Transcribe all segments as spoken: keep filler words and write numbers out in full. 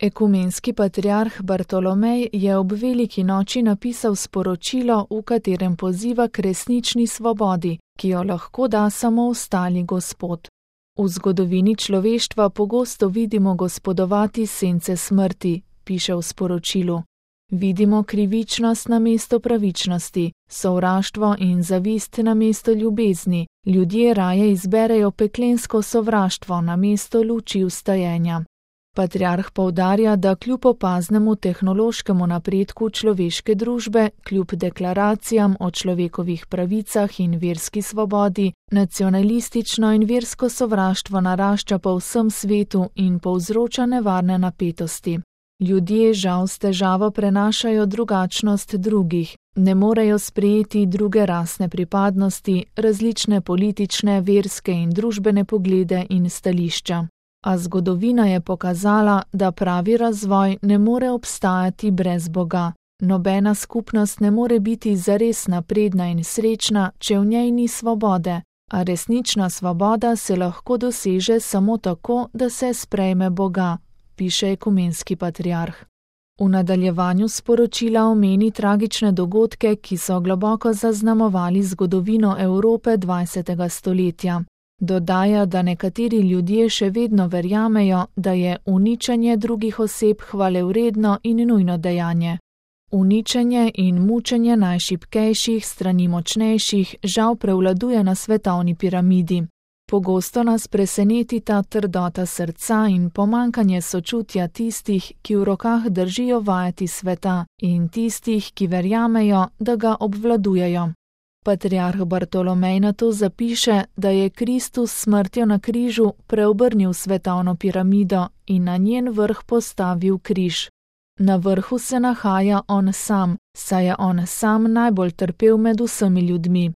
Ekumenski patriarh Bartolomej je ob veliki noči napisal sporočilo, v katerem poziva k resnični svobodi, ki jo lahko da samo ostali Gospod. V zgodovini človeštva pogosto vidimo gospodovati sence smrti, piše v sporočilu. Vidimo krivičnost namesto pravičnosti, sovraštvo in zavist namesto ljubezni, ljudje raje izberejo peklensko sovraštvo namesto luči vstajenja. Patriarh poudarja, da kljub opaznemu tehnološkemu napredku človeške družbe, kljub deklaracijam o človekovih pravicah in verski svobodi, nacionalistično in versko sovraštvo narašča po vsem svetu in povzroča nevarne napetosti. Ljudje žal s težavo prenašajo drugačnost drugih, ne morejo sprejeti druge rasne pripadnosti, različne politične, verske in družbene poglede in stališča. A zgodovina je pokazala, da pravi razvoj ne more obstajati brez Boga. Nobena skupnost ne more biti zares napredna in srečna, če v njej ni svobode, a resnična svoboda se lahko doseže samo tako, da se sprejme Boga, piše ekumenski patriarh. V nadaljevanju sporočila omeni tragične dogodke, ki so globoko zaznamovali zgodovino Evrope dvajsetega stoletja. Dodaja, da nekateri ljudje še vedno verjamejo, da je uničenje drugih oseb hvalevredno in nujno dejanje. Uničenje in mučenje najšibkejših strani močnejših žal prevladuje na svetovni piramidi. Pogosto nas preseneti ta trdota srca in pomanjkanje sočutja tistih, ki v rokah držijo vajeti sveta, in tistih, ki verjamejo, da ga obvladujejo. Patriarh Bartolomej nato zapiše, da je Kristus s smrtjo na križu preobrnil svetovno piramido in na njen vrh postavil križ. Na vrhu se nahaja on sam, saj je on sam najbolj trpel med vsemi ljudmi.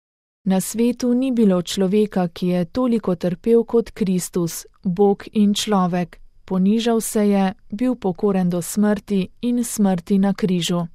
Na svetu ni bilo človeka, ki je toliko trpel kot Kristus, Bog in človek. Ponižal se je, bil pokoren do smrti in smrti na križu.